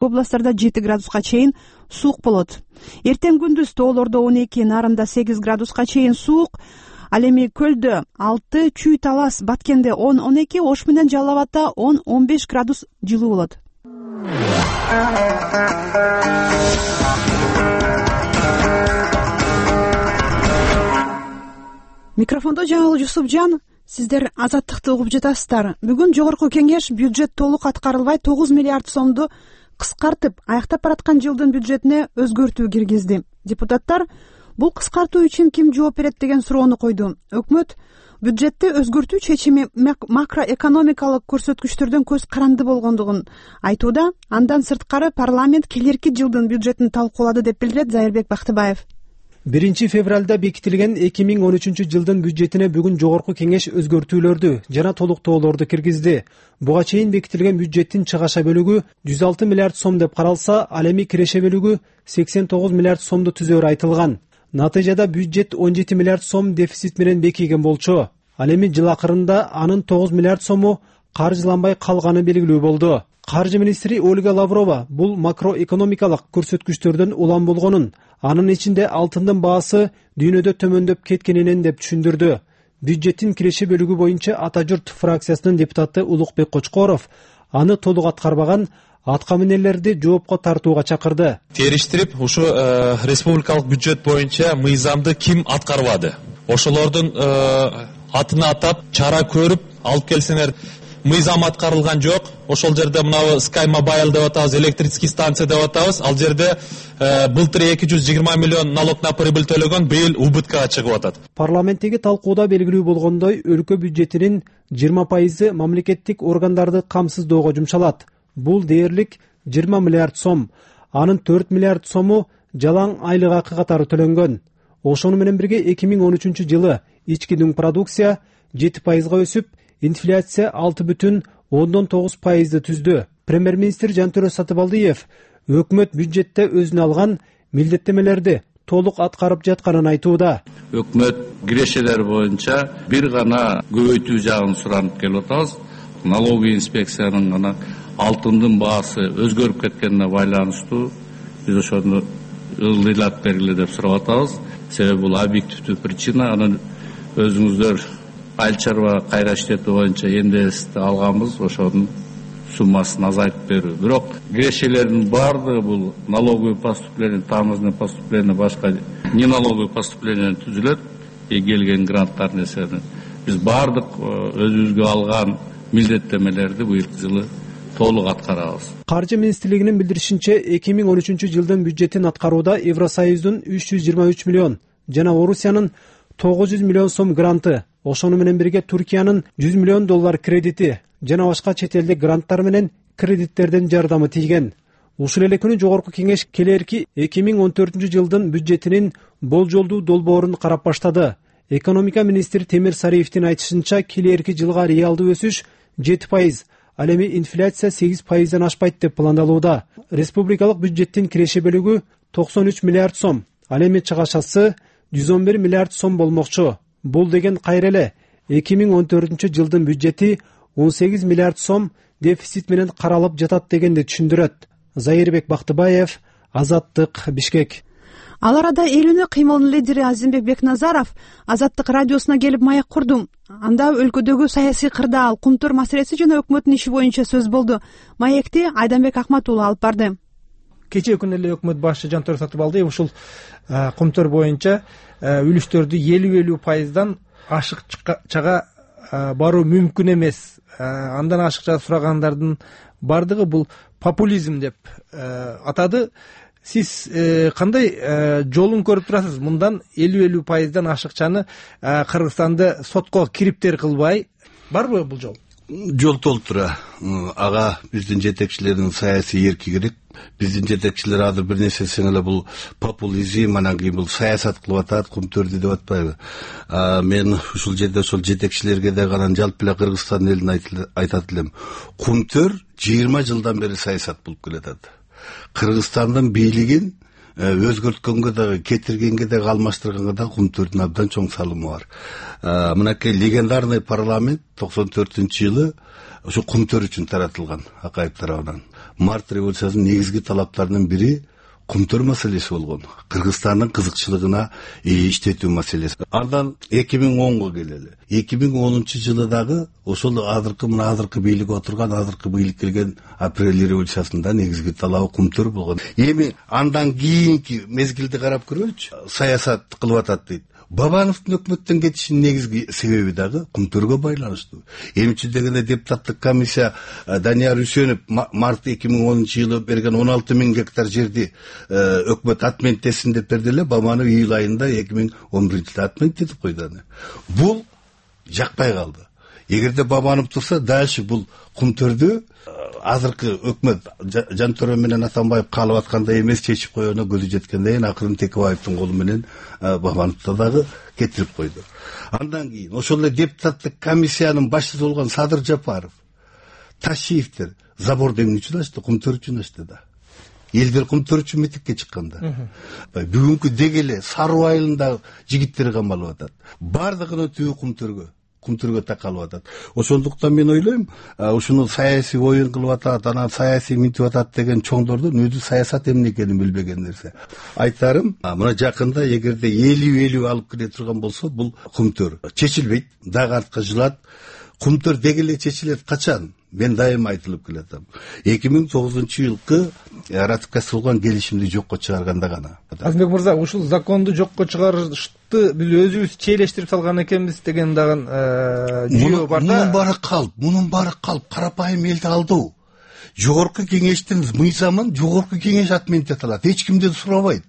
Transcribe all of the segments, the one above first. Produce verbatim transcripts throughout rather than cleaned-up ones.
областтарда жети градуска чейин суук болот. Эртең күндүз тоолордо он эки, Нарында сегиз градуска чейин суук. Ал эми Көлдө алты, Чүй Талас, Баткенде он он эки, Ош менен Жалал Абадда он он беш градус жылуу болот. Микрофондо Жаңыл Жусупжан. Сиздер Азаттыкты угуп жатасыздар. Бүгүн жогорку кеңеш бюджет толук аткарылбай тогуз миллиард сомду кыскартып, аяктап бараткан жылдын бюджетине өзгөртүү киргизди. Депутаттар бул кыскартуу үчүн ким жооп берет деген суроону койду. Өкмөт бюджетти өзгөртүү чечими макроэкономикалык көрсөткүчтөрдөн көз каранды болгондугун айтууда. Андан сырткары парламент келерки жылдын бюджетин талкуулады деп билдирет Зайырбек Бактыбаев. биринчи февралда бекитилген эки миң он үчүнчү жылдын бюджетине бүгүн жогорку кеңеш өзгөртүүлөрдү жана толуктоолорду киргизди. Буга чейин бекитилген бюджеттин чыгаша бөлүгү жүз алты миллиард сом деп каралса, ал эми киреше бөлүгү сексен тогуз миллиард сомду түзөөрү айтылган. Натыйжада бюджет он жети миллиард сом дефицит менен бекиген болчу. Ал эми жыл акырында анын тогуз миллиард сому каржыланбай калганы белгилүү болду. Каржы министри Ольга Лаврова бул макроэкономикалык көрсөткүчтөрдөн улам болгонун, анын ичинде алтындын баасы дүйнөдө төмөндөп кеткенинен деп түшүндүрдү. Бюджеттин киреше бөлүгү боюнча Ата журт фракциясынын депутаты Улукбек Кочкоров аны толук аткарбаган атка минерлерди жоопко тартууга чакырды. Териштирип, ушу республикалык бюджет боюнча мыйзамды ким аткарбады? Ошолордун атын атап, чара көрүп алып келсеңер. Мыйзам аткарылган жок. Ошол жерде мына Sky Mobile деп атабыз, электрический станция деп атабыз. Ал жерде былтыр эки жүз жыйырма миллион налог на прибыль төлөгөн, быйыл убыткага чыгып атат. Парламенттеги талкууда белгилүү болгондой, өлкө бюджетинин жыйырма пайызы мамлекеттик органдарды камсыздоого жумшалат. Бул дээрлик жыйырма миллиард сом. Анын төрт миллиард сому жалаң айлык акы катары төлөнгөн. Ошону менен бирге эки миң он үчүнчү жылы ички дүң продукция жети пайызга өсүп, инфляция алты бүтүн ондон тогуз пайызды түздү. Премьер-министр Жантөрө Сатыбалдиев өкмөт бюджетте өзүнө алган милдеттемелерди толук аткарып жатканын айтууда. Өкмөт кирешелер боюнча бир гана көбөйтүү жагын суранып келип атабыз. Налоговый инспекциянын гана алтындын баасы өзгөрүп кеткенине байланыштуу биз ошону ылдыйлап бергиле деп сурап атабыз. Себеби бул объективдүү причина. Анын өзүңүздөр айыл чарба кайра иштетүү боюнча эндести алганбыз, ошонун суммасын азайтып берүү. Бирок кирешелердин баардыгы бул налоговый поступление, таможенное поступление, башка не налоговый поступление түзүлөт. И келген гранттар несени биз баардык өзүбүзгө алган милдеттемелерди быйылкы жылы толук аткарабыз. Каржы министрлигинин билдиришинче, эки миң он үчүнчү жылдын бюджетин аткарууда Евросоюздун үч жүз жыйырма үч миллион жана Орусиянын тогуз жүз миллион сом гранты, ошону менен бирге Туркиянын жүз миллион доллар кредити жана башка чет элдик гранттар менен кредиттерден жардамы тийген. Ушул эле күнү жогорку кеңеш келерки эки миң он төртүнчү жылдын бюджетинин болжолдуу долбоорун карап баштады. Экономика министри Темир Сариевдин айтышынча, келерки жылга реалдуу өсүш жети пайыз, ал эми инфляция сегиз пайыздан ашпайт деп пландалууда. Республикалык бюджеттин киреше бөлүгү токсон үч миллиард сом, ал эми чыгашасы жүз он бир миллиард сом болмокчу. Бул деген кайра эле эки миң он төртүнчү жылдын бюджети он сегиз миллиард сом дефицит менен каралып жатат дегенди түшүндүрөт. Зайырбек Бактыбаев, Азаттык, Бишкек. Ал арада эл үнү кыймылынын лидери Азимбек Бекназаров Азаттык радиосуна келип маек курду. Анда өлкөдөгү саясий кырдаал, кумтөр маселеси жана өкмөттүн иши боюнча сөз болду. Маекти Айданбек Акмат уулу алып барды. Кечээ күнү эле өкмөт башчы Жантөрө Сатыбалдиев ушул кумтөр боюнча үлүштөрдү элүү элүү пайыздан ашыкчага баруу мүмкүн эмес. Андан ашыкча сурагандардын бардыгы бул популизм деп атады. Сиз кандай жолун көрүп турасыз? Мындан элүү элүү пайыздан ашыкчаны Кыргызстанды сотко кириптер кылбай барбы бул жол? Жол толуп тура. Ага биздин жетекчилердин саясий эрки керек. Биздин жетекчилер азыр бир нерсе десең эле бул популизм, анан кийин бул саясат кылып атат, кумтөрдү деп атпайбы? Мен ушул жерде ошол жетекчилерге да анан жалпы эле Кыргызстан элине айтат элем. Кумтөр жыйырма жылдан бери саясат болуп келатат. Кыргызстандын бийлигин өзгөрткөнгө дагы, кетиргенге дагы, алмаштырганга дагы кумтөрдүн абдан чоң салымы бар. Мынакей легендарный парламент токсон төртүнчү жылы ошо кумтөр үчүн таратылган Акаев тарабынан. Март революциясынын негизги талаптарынын бири кумтөр маселеси болгон. Кыргызстандын кызыкчылыгына иштетүү маселеси. Андан эки миң онго келели. эки миң онунчу жылы дагы ошол азыркы мына азыркы бийлик отурган, азыркы бийлик келген апрель революциясында негизги талабы кумтөр болгон. Эми андан кийинки мезгилди карап көрөлүчү. Саясат кылып атат дейт. Бабановдун өкмөттөн кетишинин негизги себеби дагы кумтөргө байланыштуу. Эмчи дегенде депутаттык комиссия Данияр Үсөнов март эки миң онунчу жылы берген он алты миң гектар жерди өкмөт отменттесин деп берди эле. Бабанов июль айында эки миң он биринчи жылы отменттетип койду. Бул жакпай калды. Эгерде Бабанов турса, дальше бул кумтөрдү азыркы өкмөт Жантөре менен Атамбаев каалап аткандай эмес чечип коюуна көзү жеткенден кийин акырын Текебаевдин колу менен Бабановду дагы кетирип койду. Андан кийин ошол эле депутаттык комиссиянын башчысы болгон Садыр Жапаров, Ташиевдер заборду эмне үчүн ачты? Кумтөр үчүн ачты да. Элдер кумтөр үчүн митингге чыкканда. Бүгүнкү дегеле Саруу айылындагы жигиттер камалып атат. Бардыгына түбү кумтөргө. Кумтөргө такалып атат. Ошондуктан мен ойлойм, ушуну саясий оюн кылып атат, анан саясий минтип атат деген чоңдордун өзү саясат эмне экенин билбеген нерсе. Айтарым, мына жакында эгерде элүү элүү алып келе турган болсо, бул кумтөр чечилбейт, дагы артка жылат. Кумтөр дегеле чечилет качан? Мен дайыма айтылып келатам. эки миң тогузунчу жылкы ратификацияланган келишимди жокко чыгарганда гана. Азымбек мырза, ушул законду жокко чыгарышты биз өзүбүз чейлештирип салган экенбиз деген дагы жүйө бар да. Мунун баары калп, мунун баары калп, карапайым элди алдоо. Жогорку кеңештин мыйзамын жогорку кеңеш отменттете алат. Эч кимден сурабайт.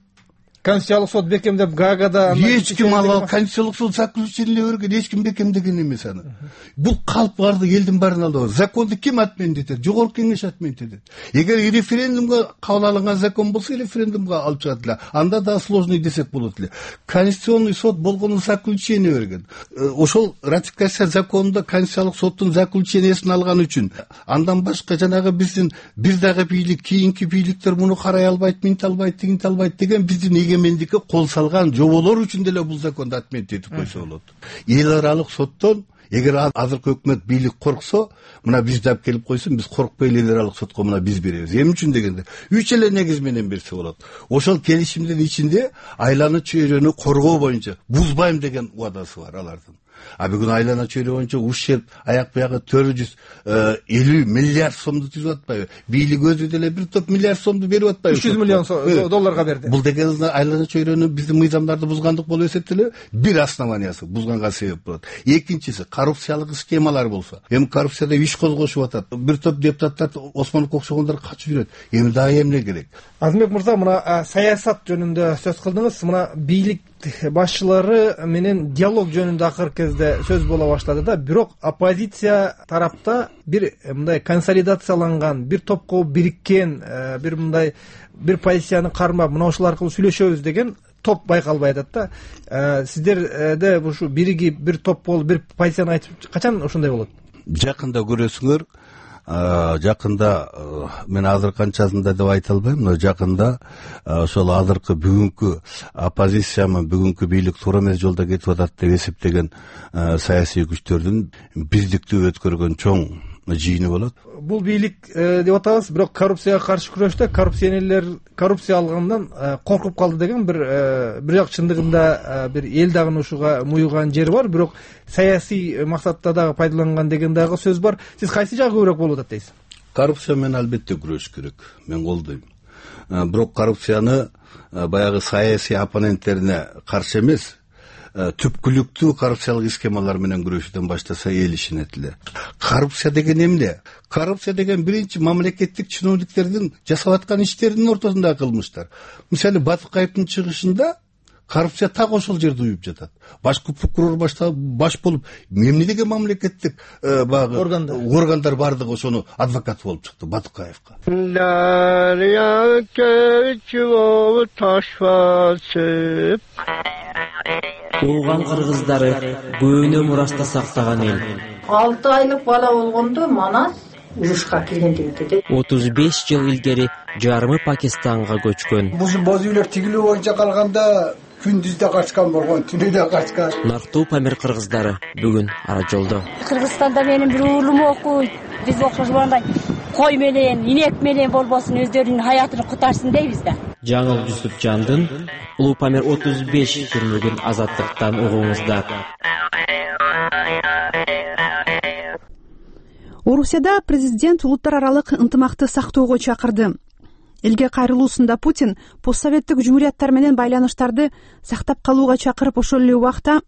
Конституциялык сот бекемдеп Гаагада эч ким ал конституциялык сот заключение берген, эч ким бекемдеген эмес аны. Бул калп барды элдин баарын алдоо. Законду ким отменттетет? Жогорку кеңеш отменттетет. Эгер референдумга кабыл алынган закон болсо, референдумга алып чыгат эле. Анда да сложный десек болот эле. Конституционный сот болгону заключение берген. Ошол ратификация законунда конституциялык соттун заключениесин алган үчүн андан башка жанагы биздин бир дагы бийлик, кийинки бийликтер муну карай албайт, минте албайт, тигинте албайт деген биздин эгемендикке кол салган жоболор үчүн деле бул законду отменттетип койсо болот. Эл аралык соттон эгер азыркы өкмөт бийлик корксо, мына бизди алып келип койсун, биз коркпой эл аралык сотко мына биз беребиз. Эмне үчүн дегенде, үч эле негиз менен берсе болот. Ошол келишимдин ичинде айлана чөйрөнү коргоо боюнча бузбайм деген убадасы бар алардын. А бүгүн айлана чөйрө боюнча ущерб аяк буягы төрт жүз элүү миллиард сомду түзүп атпайбы? Бийлик өзү деле бир топ миллиард сомду берип атпайбы? үч жүз миллион долларга берди. Бул деген айлана чөйрөнү биздин мыйзамдарды бузгандык болуп эсептелеби? Бир основаниясы бузганга себеп болот. Экинчиси коррупциялык схемалар болсо. Эми коррупцияда иш козгошуп атат. Бир топ депутаттар Осмоновго окшогондор качып жүрөт. Эми дагы эмне керек? Азымбек мырза, мына саясат жөнүндө сөз кылдыңыз. Мына бийлик башчылары менен диалог жөнүндө акыркы кезде сөз боло баштады да. Бирок оппозиция тарапта бир мындай консолидацияланган, бир топко бириккен, бир мындай бир позицияны кармап, мына ошол аркылуу сүйлөшөбүз деген топ байкалбай атат да. Сиздерде ушу биригип, бир топ болуп, бир позицияны айтып качан ошондой болот? Жакында көрөсүңөр. Жакында мен азыр канчасында деп айта албайм, но жакында ошол азыркы бүгүнкү оппозициямы, бүгүнкү бийлик туура эмес жолдо кетип атат деп эсептеген саясий күчтөрдүн биздиктүү өткөргөн чоң жыйыны болот. Бул бийлик деп атабыз, бирок коррупцияга каршы күрөштө коррупционерлер коррупция алгандан коркуп калды деген бир бир жак чындыгында бир эл дагы ушуга муюган жери бар, бирок саясий максатта дагы пайдаланган деген дагы сөз бар. Сиз кайсы жагы көбүрөөк болуп атат дейсиз? Коррупция менен албетте күрөшүш керек. Мен колдойм. Бирок коррупцияны баягы саясий оппоненттерине каршы эмес, түпкүлүктүү коррупциялык схемалар менен күрөшүүдөн баштаса эл ишенет эле. Коррупция деген эмне? Коррупция деген биринчи мамлекеттик чиновниктердин жасап аткан иштеринин ортосундагы кылмыштар. Мисалы Батыкаевдин чыгышында коррупция так ошол жерде уюп жатат. Башкы прокурор башта баш болуп, эмне деген мамлекеттик багы органдар бардыгы ошону адвокат болуп чыкты Батыкаевга. Дарья кечип таш басып Ооган кыргыздары көөнө мурашта сактаган эл. алты айлык бала болгондо Манас урушка киргендигинде отуз беш жыл илгери жарымы Пакистанга көчкөн. Бул боз үйлөр тигилүү боюнча калганда күндүз да качкан болгон, түнү да качкан. Нарктуу Памир кыргыздары бүгүн ара жолдо. Кыргызстанда менин бир уулум окуйт. Биз окшошгондой кой менен, инек менен болбосун өздөрүнүн хаятын кутарсын дейбиз да. Жаңыл Жусупжандын Улуу Памир отуз беш фильмин Азаттыктан угуңуздар. Орусияда президент улуттар аралык ынтымакты сактоого чакырды. Элге кайрылуусунда Путин постсоветтик жумурияттар менен байланыштарды сактап калууга чакырып, ошол эле убакта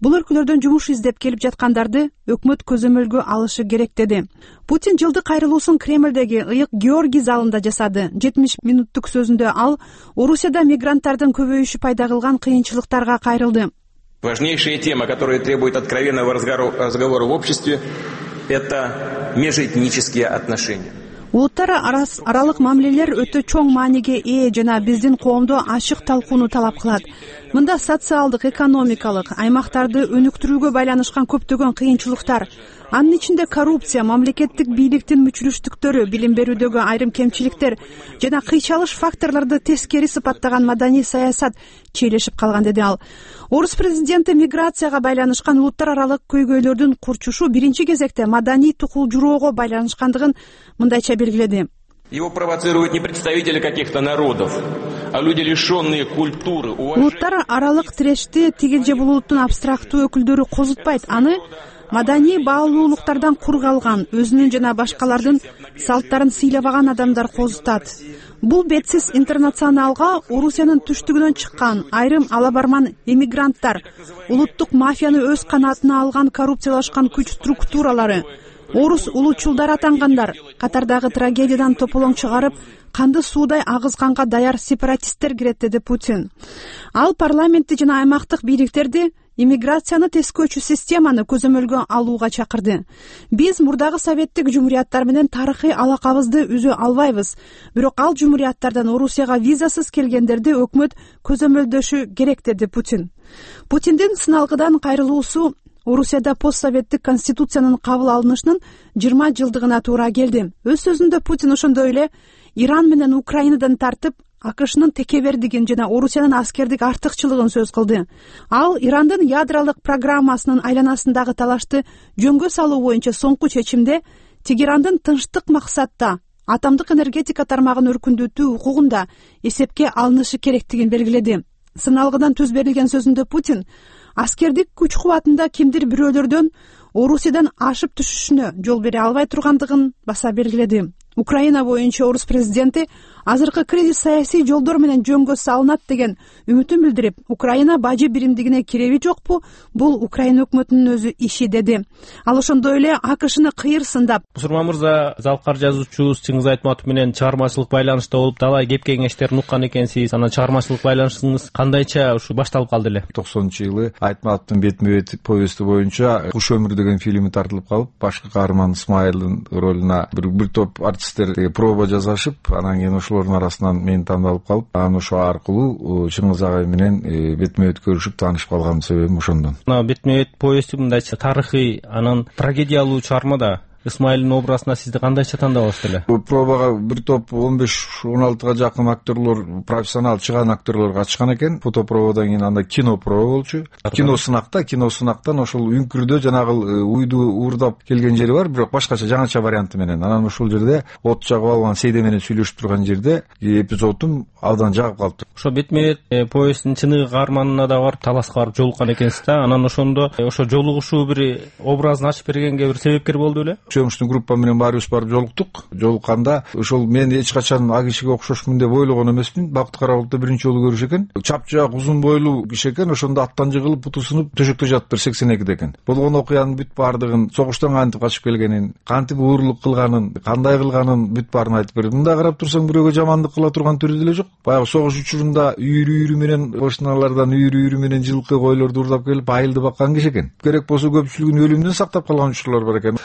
бул өлкөлөрдөн жумуш издеп келип жаткандарды өкмөт көзөмөлгө алышы керек деди. Путин жылдык кайрылуусун Кремлдеги ыйык Георгий залында жасады. жетимиш минуттук сөзүндө ал Орусияда мигранттардын көбөйүшү пайда кылган кыйынчылыктарга кайрылды. Важнейшая тема, которая требует откровенного разговора в обществе, это межэтнические отношения. Улуттар аралык мамилелер өтө чоң мааниге ээ жана биздин коомдо ачык талкууну талап кылат. Мында социалдык, экономикалык аймактарды өнүктүрүүгө байланышкан көптөгөн кыйынчылыктар, анын ичинде коррупция, мамлекеттик бийликтин мүчүлүштүктөрү, билим берүүдөгү айрым кемчиликтер жана кыйчалыш факторлорду тескери сыпаттаган маданий саясат чийлешип калган, деди ал. Орус президенти миграцияга байланышкан улуттар аралык көйгөйлөрдүн курчушу биринчи кезекте маданий тукулжуроого байланышкандыгын мындайча белгиледи. Его провоцируют не представители каких-то народов, а люди, лишенные культуры, уважения. Улуттар аралык тирешти тигил же бул улуттун абстрактуу өкүлдөрү козутпайт, аны маданий баалуулуктардан кур калган, өзүнүн жана башкалардын салттарын сыйлабаган адамдар козутат. Бул бетсиз интернационалга Орусиянын түштүгүнөн чыккан айрым алабарман эмигранттар, улуттук мафияны өз канатына алган коррупциялашкан күч структуралары, орус улуучулдар атангандар, катардагы трагедиядан тополоң чыгарып, канды суудай агызганга даяр сепаратисттер кирет, деди Путин. Ал парламентти жана аймактык бийликтерди иммиграцияны тескөөчү системаны көзөмөлгө алууга чакырды. Биз мурдагы советтик жумурияттар менен тарыхый алакабызды үзө албайбыз, бирок ал жумурияттардан Орусияга визасыз келгендерди өкмөт көзөмөлдөшү керек, деди Путин. Путиндин сыналгыдан кайрылуусу Орусияда постсоветтик конституциянын кабыл алынышынын жыйырма жылдыгына туура келди. Өз сөзүндө Путин ошондой эле Иран менен Украинадан тартып АКШнын текебердигин жана Орусиянын аскердик артыкчылыгын сөз кылды. Ал Ирандын ядролук программасынын айланасындагы талашты жөнгө салуу боюнча соңку чечимде Тегерандын тынчтык максатта атомдук энергетика тармагын өркүндөтүү укугунда эсепке алынышы керектигин белгиледи. Сыналгыдан түз берилген сөзүндө Путин аскердик күч кубатында кимдир бирөөлөрдөн Орусиядан ашып түшүшүнө жол бере албай тургандыгын баса белгиледи. Украина боюнча орус президенти азыркы кризис саясий жолдор менен жөнгө салынат деген үмүтүн билдирип, Украина бажы биримдигине киреби жокпу, бул Украина өкмөтүнүн өзү иши, деди. Ал ошондой эле АКШны кыйыр сындап. Мусурман мырза, залкар жазуучубуз Чыңгыз Айтматов менен чыгармачылык байланышта болуп, талай кеп кеңештерин уккан экенсиз. Анан чыгармачылык байланышыңыз кандайча ушу башталып калды эле? токсонунчу жылы Айтматовдун бетме бет повести боюнча Куш өмүр деген фильми тартылып калып, башкы каарман Исмайылдын ролуна бир бир топ артисттер проба жасашып, анан кийин ошолордун арасынан мен тандалып калып, анан ошо аркылуу Чыңгыз агай менен бетме бет көрүшүп таанышып калган себебим ошондон. Мына бетме бет повести мындайча тарыхый, анан трагедиялуу чыгарма да. Исмайылдын образына сизди кандайча тандабыңыз эле? Бул пробага бир топ он беш он алтыга жакын актерлор, профессионал чыган актерлор катышкан экен. Фотопробадан кийин анда кино проба болчу. Кино сынакта, кино сынактан ошол үңкүрдө жанагы уйду уурдап келген жери бар, бирок башкача жаңача варианты менен. Анан ошол жерде от жагып алган Сейде менен сүйлөшүп турган жерде эпизодум абдан жагып калыптыр. Ошо бетме бет повестинин чыныгы каарманына да барып таласка барып жолуккан экенсиз да. Анан ошондо ошо жолугушуу бир образын ачып бергенге бир себепкер болду беле? Сөмүштүн группа менен баарыбыз барып жолуктук. Жолукканда ошол мен эч качан а кишиге окшошмун деп ойлогон эмесмин. Бактык Карабалыкта биринчи жолу көрүш экен. Чапчаак, узун бойлуу киши экен. Ошондо аттан жыгылып, буту сынып, төшөктө жатыптыр сексен экиде экен. Болгон окуянын бүт баардыгын, согуштан кантип качып келгенин, кантип уурулук кылганын, кандай кылганын бүт баарын айтып берди. Мында карап турсаң бирөөгө жамандык кыла турган түрү деле жок. Баягы согуш учурунда үйүрү-үйүрү менен кошуналардан үйүрү-үйүрү менен жылкы койлорду уурдап келип айылды баккан киши экен. Керек болсо көпчүлүгүн өлүмдөн сактап калган учурлар бар экен.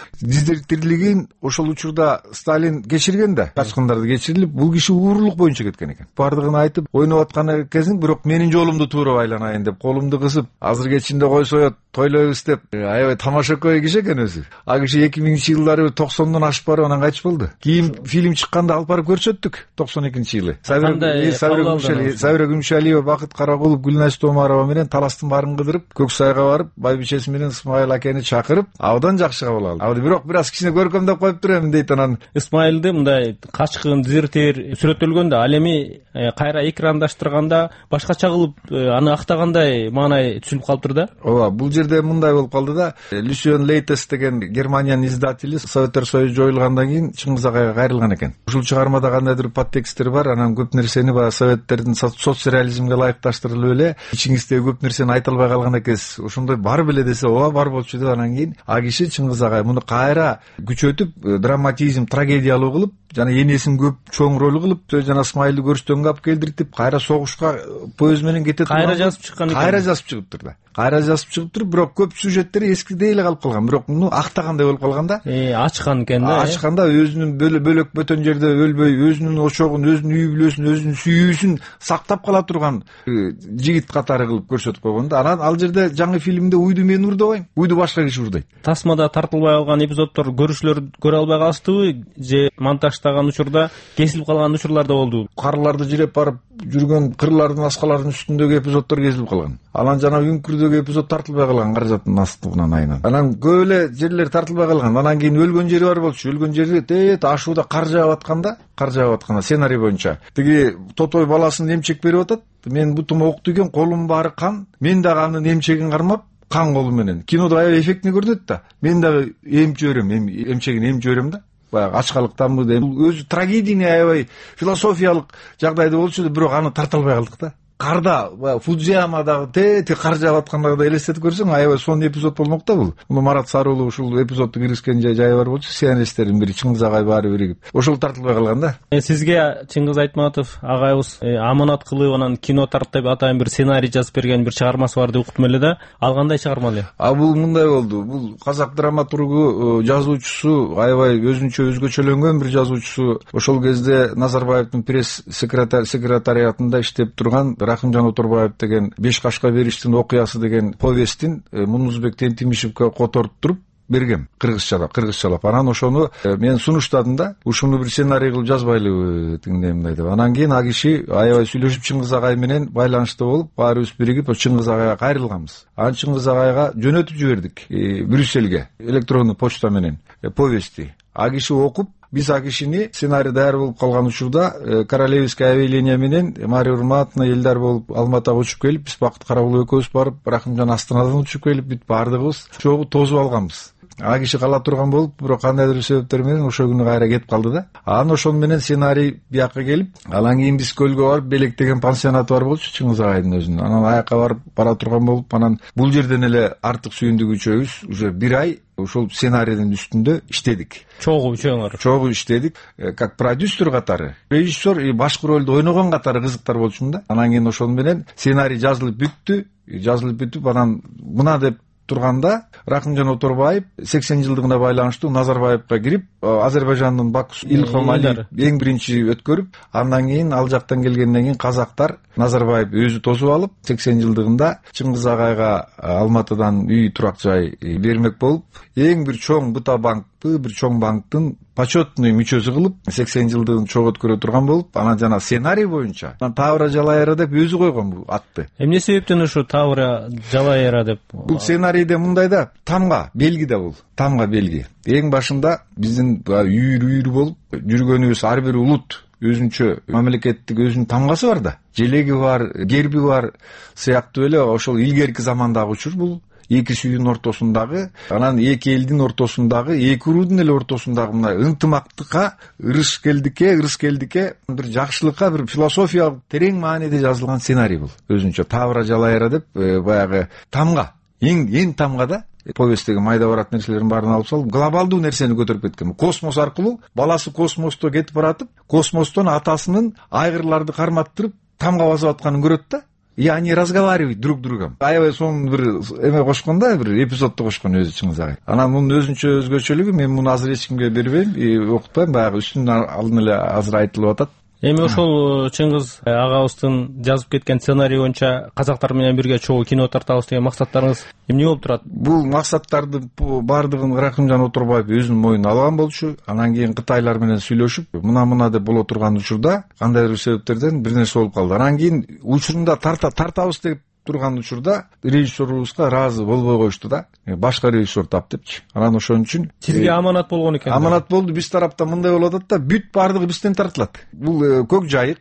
Тирилигин ошол учурда Сталин кечирген да, качкындарды кечирилип, бул киши уурулук боюнча кеткен экен. Бардыгын айтып, ойноп аткан кезин, бирок менин жолумду туура байланайын деп колумду кысып, азыр кечинде койсоет, тойлойбуз деп аябай тамашакөй киши экен өзү. А киши эки миңинчи жылдары токсондон ашып барып анан кайтыш болду. Кийин фильм чыкканда алып барып көрсөттүк токсон экинчи жылы. Сабира Күмүшалиева, Бакыт Каракулов, Гүлназ Томарова менен таластын баарын кыдырып, Көк Сайга барып, байбичеси менен Исмайыл акени чакырып, абдан жакшы кабыл алды. Абы бирок бир аз кичине көркөмдөп коюп турам дейт. Анан Исмайылды мындай качкын, дезертир сүрөттөлгөндө, ал эми кайра экрандаштырганда башкача кылып аны актагандай маанай түшүнүп калыптыр да. Ооба, бул жерде мындай болуп калды да. Люсион Лейтес деген Германиянын издатели Советтер Союзу жоюлгандан кийин Чыңгыз Агайга кайрылган экен. Ушул чыгармада кандайдыр подтексттер бар, анан көп нерсени баягы Советтердин соцреализмге ылайыкташтырылып эле ичиңиздеги көп нерсени айта албай калган экенсиз. Ошондой бар беле десе, ооба бар болчу деп анан кийин а киши Чыңгыз Агай муну кайра күчөтүп, драматизм, трагедиялуу кылып, жана энесин көп чоң роль кылып, жана Исмайылды көрсөтөнгө алып келдиртип, кайра согушка поезд менен кете турган. Кайра жазып чыккан экен. Кайра жазып чыгыптыр да. Кайра жазып чыгыптыр, бирок көп сюжеттери эскидей эле калып калган. Бирок муну актагандай болуп калган да. Э, ачкан экен да. Ачканда өзүнүн бөлөк бөтөн жерде өлбөй, өзүнүн ошогун, өзүнүн үй бүлөсүн, өзүнүн сүйүүсүн сактап кала турган жигит катары кылып көрсөтүп койгон да. Анан ал жерде жаңы фильмде уйду мен урдабайм, уйду башка киши урдайт. Тасмада тартылбай калган эпизоддор көрүүчүлөр көрө албай калыштыбы же монтаждаган учурда кесилип калган учурлар да болду. Карларды жиреп барып жүргөн кырлардын, аскалардын үстүндөгү эпизоддор кесилип калган. Анан жана үңкүрдөгү эпизод тартылбай калган, каражаттын астынан айынан. Анан көп эле жерлер тартылбай калган. Анан кийин өлгөн жери бар болчу. Өлгөн жери тет ашууда кар жаап атканда, кар жаап атканда сценарий боюнча тиги тотой баласын эмчек берип атат. Мен бутум окту экен, колум баары кан. Мен дагы анын эмчегин кармап, кан колу менен. Кинодо аябай эффектный көрүнөт да. Мен дагы эмчип жиберем, эмчегин эмчип жиберем да. Баягы ачкалыктанбы деп. Өзү трагедийный аябай философиялык жагдайда болчу, бирок аны тарта албай калдык да. Карда, Фудзиямадагы те кар жаап аткандагы элестетип көрсөң, аябай сонун эпизод болмок да бул. Муну Марат Сарыулов ушул эпизодду киргизген жайы бар болчу, сценаристтердин бири Чыңгыз Агай баары биригип. Ошол тартылбай калган да. Сизге Чыңгыз Айтматов агайыбыз аманат кылып анан кино тартып атайын бир сценарий жазып берген бир чыгармасы бар деп уктум эле да. Ал кандай чыгарма эле? А бул мындай болду. Бул казак драматургу, жазуучусу, аябай өзүнчө өзгөчөлөнгөн бир жазуучусу. Ошол кезде Назарбаевдин пресс секретариатында иштеп турган Рахымжан Оторбаев деген Беш кашка бериштин окуясы деген повесттин Мунузбек Тентимишевке которуп туруп бергем кыргызчалап, кыргызчалап. Анан ошону мен сунуштадым да, ушуну бир сценарий кылып жазбайлыбы тигиндей мындай деп. Анан кийин а киши аябай сүйлөшүп Чыңгыз Агай менен байланышта болуп, баарыбыз биригип Чыңгыз Агайга кайрылганбыз. Анан Чыңгыз Агайга жөнөтүп жибердик Брюссельге электрондуу почта менен повестти. А киши окуп, биз а кишини сценарий даяр болуп калган учурда Королевское авиалиния менен Мария Урматовна Элдар болуп Алматага учуп келип, биз Бакыт Каракулов экөөбүз барып, Рахымжан Астанадан учуп келип, бүт баардыгыбыз чогуу тосуп алганбыз. А киши кала турган болуп, бирок кандайдыр себептер менен ошол күнү кайра кетип калды да. Анан ошол менен сценарий бияка келип, анан кийин биз көлгө барып, Белек деген пансионаты бар болчу Чыңгыз Агайдын өзүнүн. Анан аяка барып бара турган болуп, анан бул жерден эле артык сүйүндүк үчөөбүз уже бир ай ошол сценарийдин үстүндө иштедик. Чогуу үчөөңөр. Чогуу иштедик, как продюсер катары, режиссер и башкы ролду ойногон катары кызыктар болчумун да. Анан кийин ошол менен сценарий жазылып бүттү, жазылып бүтүп, анан мына деп турганда Рахымжан Оторбаев сексен жылдыгына байланыштуу Назарбаевка кирип, Азербайжандын Бакусу Илхом Алиев эң биринчи өткөрүп, андан кийин ал жактан келгенден кийин казактар Назарбаев өзү тосуп алып, сексен жылдыгында Чыңгыз Агайга Алматыдан үй турак жай бермек болуп, эң бир чоң Быта банкты, бир чоң банктын почетный мүчөсү кылып, сексен жылдыгын чогуу өткөрө турган болуп, анан жана сценарий боюнча Тавра Жалайыра деп өзү койгон бул атты. Эмне себептен ушу Тавра Жалайыра деп? Бул сценарийде мындай да, тамга белги да бул, тамга белги. Эң башында биздин үйүр-үйүр болуп жүргөнүбүз, ар бир улут өзүнчө мамлекеттик өзүнүн тамгасы бар да, желеги бар, герби бар сыяктуу эле ошол илгерки замандагы учур бул. Эки сүйдүн ортосундагы, анан эки элдин ортосундагы, эки уруудун эле ортосундагы мына ынтымактыкка, ырыскелдикке, ырыскелдикке, бир жакшылыкка, бир философиялык терең мааниде жазылган сценарий бул. Өзүнчө Тавра Жалайыра деп баягы тамга, эң эң тамга да повесттеги майда барат нерселердин баарын алып салып, глобалдуу нерсени көтөрүп кеткен. Космос аркылуу баласы космосто кетип баратып, космостон атасынын айгырларды карматтырып тамга басып атканын көрөт да. И они разговаривают друг с другом. Аябай сонун бир эме кошкон да, бир эпизодду кошкон өзү Чыңгыз Агай. Анан мунун өзүнчө өзгөчөлүгү, мен муну азыр эч кимге бербейм, окутпайм, баягы үстүнөн алдын эле азыр айтылып атат. эми ошол Чыңгыз агабыздын жазып кеткен сценарий боюнча казактар менен бирге чогуу кино тартабыз деген максаттарыңыз эмне болуп турат? Бул максаттардын баардыгын Рахимжан Отурбаев өзүнүн мойнуна алган болчу. Анан кийин Кытайлар менен сүйлөшүп, мына-мына деп боло турган учурда кандайдыр себептерден бир нерсе болуп калды. Анан кийин учурунда тарта тартабыз деп турган учурда режиссерубузга ыраазы болбой коюшту да. Башка режиссер тап депчи. Анан ошон үчүн сизге аманат болгон экен. Аманат болду. Биз тараптан мындай болуп атат да, бүт баардыгы бизден тартылат. Бул көк жайык,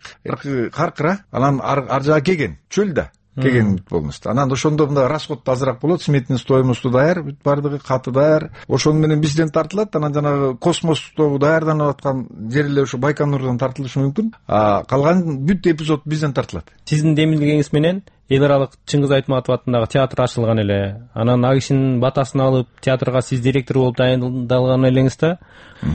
каркыра, анан ар жагы кеген, чөл да. Кеген бүт болмосто. Анан ошондо мындай расход да азыраак болот, сметный стоимосту даяр, бүт баардыгы каты даяр. Ошону менен бизден тартылат. Анан жанагы космостогу даярданып аткан жерлер ошо Байконурдан тартылышы мүмкүн. А калган бүт эпизод бизден тартылат. Сиздин демилгеңиз менен эл аралык Чыңгыз Айтматов атындагы театр ачылган эле. Анан ал кишинин батасын алып театрга сиз директор болуп дайындалган элеңиз да.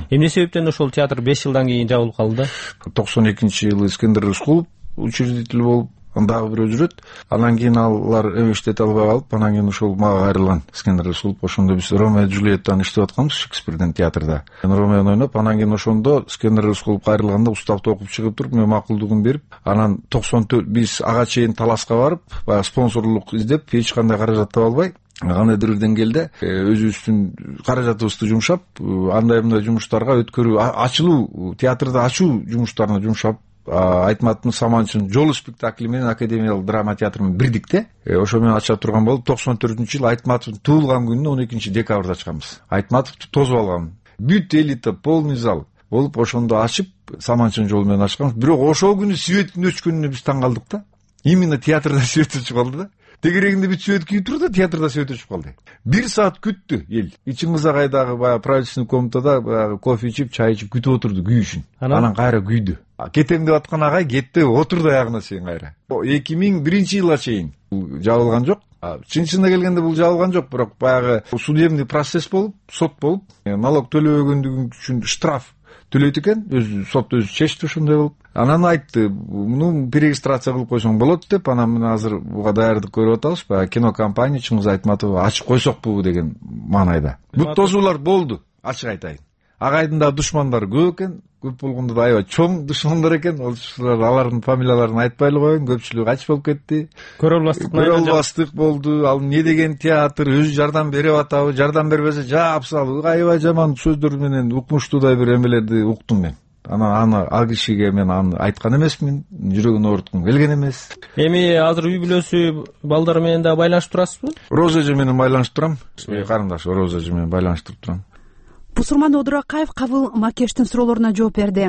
Эмне себептен ошол театр беш жылдан кийин жабылып калды да? токсон экинчи жылы Искендер Рыскулов учредитель болуп, дагы бирөө жүрөт. Анан кийин алар иштете албай калып, анан кийин ошол мага кайрылган Искендер Рыскулов. Ошондо биз Ромео Джульеттаны иштеп атканбыз Шекспирдин театрда. Ромеону ойноп, анан кийин ошондо Искендер Рыскулов кайрылганда уставды окуп чыгып туруп, мен макулдугун берип, анан токсон төрт биз ага чейин таласка барып, баягы спонсорлук издеп, эч кандай каражат таба албай, кандайдыр бир деңгээлде өзүбүздүн каражатыбызды жумшап, андай мындай жумуштарга өткөрүү, ачылуу, театрды ачуу жумуштарына жумшап, Айтматовдун Саманчынын жолу спектакли менен академиялык драма театр менен бирдикте ошо менен ача турган болуп, токсон төртүнчү жылы Айтматовдун туулган күнүнө он экинчи декабрда ачканбыз. Айтматовду тосуп алгам. Бүт элита, полный зал болуп, ошондо ачып, Саманчынын жолу менен ачканбыз. Бирок ошол күнү светтин өчкөнүнө биз таң калдык да. Именно театрда свет өчүп калды да. Тегерегинде бүт свет күйүп турду да, театрда свет өчүп калды. Бир саат күттү эл. Чыңгыз агайдагы баягы правительственный комнатада баягы кофе ичип, чай ичип күтүп отурду күйүшүн. Анан кайра күйдү. Кетем деп аткан агай кетти, отурду аягына чейин кайра. эки миң биринчи жылга чейин жабылган жок. Чын-чынына келгенде бул жабылган жок, бирок баягы судебный процесс болуп, сот болуп, налог төлөбөгөндүгү үчүн штраф төлөйт экен, өзү сот өзү чечти ошондой болуп. Анан айтты, муну перерегистрация кылып койсоң болот деп, анан мына азыр буга даярдык көрүп атабыз, баягы кинокомпания Чыңгыз Айтматов ачып койсокпу деген маанайда. Бут тосуулар болду, ачык айтайын. Агайдын да душмандары көп экен, көп болгондо да аябай чоң душмандар экен. Ошолор алардын фамилияларын айтпай эле коеюн, көпчүлүгү качып болуп кетти. Көрө албастык көрө албастык болду. Ал эмне деген театр, өзү жардам берип атабы, жардам бербесе жаап салып, аябай жаман сөздөр менен укмуштуудай бир эмелерди уктум мен. Анан аны ал кишиге мен аны айткан эмесмин, жүрөгүн ооруткум келген эмес. Эми азыр үй бүлөсү, балдары менен да байланышып турасызбы? Роза эже менен байланышып турам. Карындаш Роза эже менен байланыштырып турам. Бусурман Одуракаев кабыл Макештин суроолоруна жооп берди.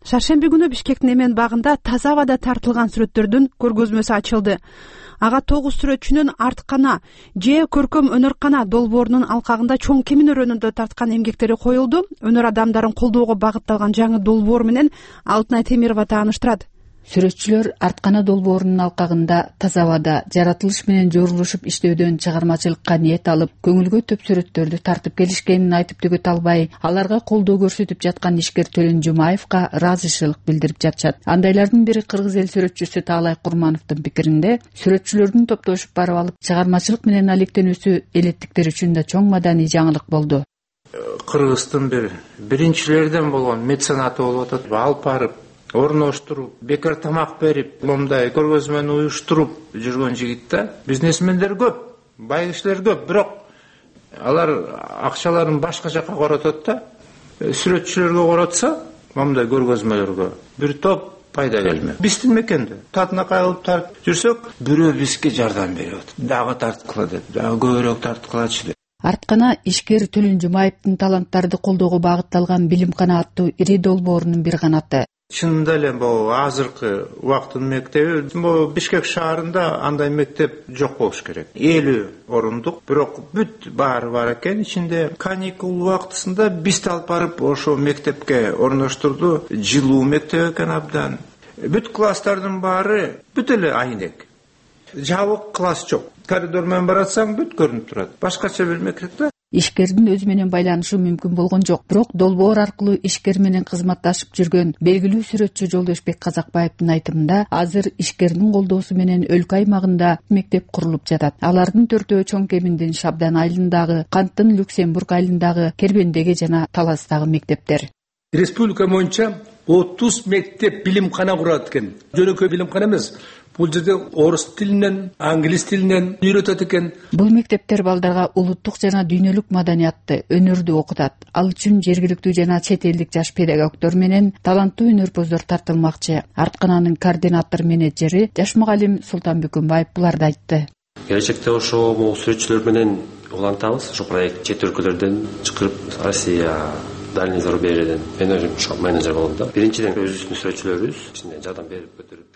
Шаршемби күнү Бишкектин Эмен багында таза абада тартылган сүрөттөрдүн көргөзмөсү ачылды. Ага тогуз сүрөтчүнүн арткана же көркөм өнөркана долбоорунун алкагында чоң кемин өрөөнүндө тарткан эмгектери коюлду. Өнөр адамдарын колдоого багытталган жаңы долбоор менен Алтынай Темирова тааныштырат. Сүрөтчүлөр арткана долбоорунун алкагында таза абада жаратылыш менен жорулушуп иштөөдөн чыгармачылыкка ниет алып, көңүлгө төп сүрөттөрдү тартып келишкенин айтып төгөт албай, аларга колдоо көрсөтүп жаткан ишкер Төлөн Жумаевка ыраазычылык билдирип жатышат. Андайлардын бири кыргыз эл сүрөтчүсү Таалай Курмановдун пикиринде, сүрөтчүлөрдүн топтошуп барып алып чыгармачылык менен алектенүүсү элеттиктер үчүн да чоң маданий жаңылык болду. Кыргыздын бир биринчилерден болгон меценаты болуп атат. Алып барып орноштуруп, бекер тамак берип, момундай көргөзмөнү уюштуруп жүргөн жигит да. Бизнесмендер көп, бай кишилер көп, бирок алар акчаларын башка жака коротот да. Сүрөтчүлөргө коротса, момундай көргөзмөлөргө бир топ пайда келмек. Биздин мекенде татына кайылып тартып жүрсөк, бирөө бизге жардам берип атат. Дагы тарткыла деп, дагы көбүрөөк тарткылачы деп. Арткана ишкер Төлөн Жумаевдин таланттарды колдоого багытталган Билимкана аттуу ири долбоорунун бир канаты. Чынында эле бул азыркы убакыттын мектеби, бул Бишкек шаарында андай мектеп жок болуш керек. элүү орундук, бирок бүт баары бар экен. Ичинде каникул убактысында бизди алып барып ошо мектепке орноштурду. Жылуу мектеп экен абдан. Бүт класстардын баары бүт эле айнек. Жабык класс жок. Коридор менен баратсаң бүт көрүнүп турат. Башкача бир мектеп да. Ишкердин өзү менен байланышы мүмкүн болгон жок. Бирок долбоор аркылуу ишкер менен кызматташып жүргөн белгилүү сүрөтчү Жолдошбек Казакбаевдин айтымында, азыр ишкердин колдоосу менен өлкө аймагында мектеп курулуп жатат. Алардын төртөө чоң кеминдин Шабдан айылындагы, Канттын Люксембург айылындагы, Кербендеги жана Таластагы мектептер. Республика боюнча отуз мектеп билимкана курат экен. Жөнөкөй билимкана эмес. Бул жерде орус тилинен, англис тилинен үйрөтөт экен. Бул мектептер балдарга улуттук жана дүйнөлүк маданиятты, өнөрдү окутат. Ал үчүн жергиликтүү жана чет элдик жаш педагогдор менен таланттуу өнөрпоздор тартылмакчы. Арткананын координатор менеджери Жаш мугалим Султан Бүкүнбаев буларды айтты. Келечекте ошо могу сүрөтчүлөр менен улантабыз. Ошо проект чет өлкөлөрдөн чакырып, Россия, дальний зарубежьеден мен өзүм менеджер болом да. Биринчиден өзүбүздүн сүрөтчүлөрүбүз ичинде жардам берип көтөрүп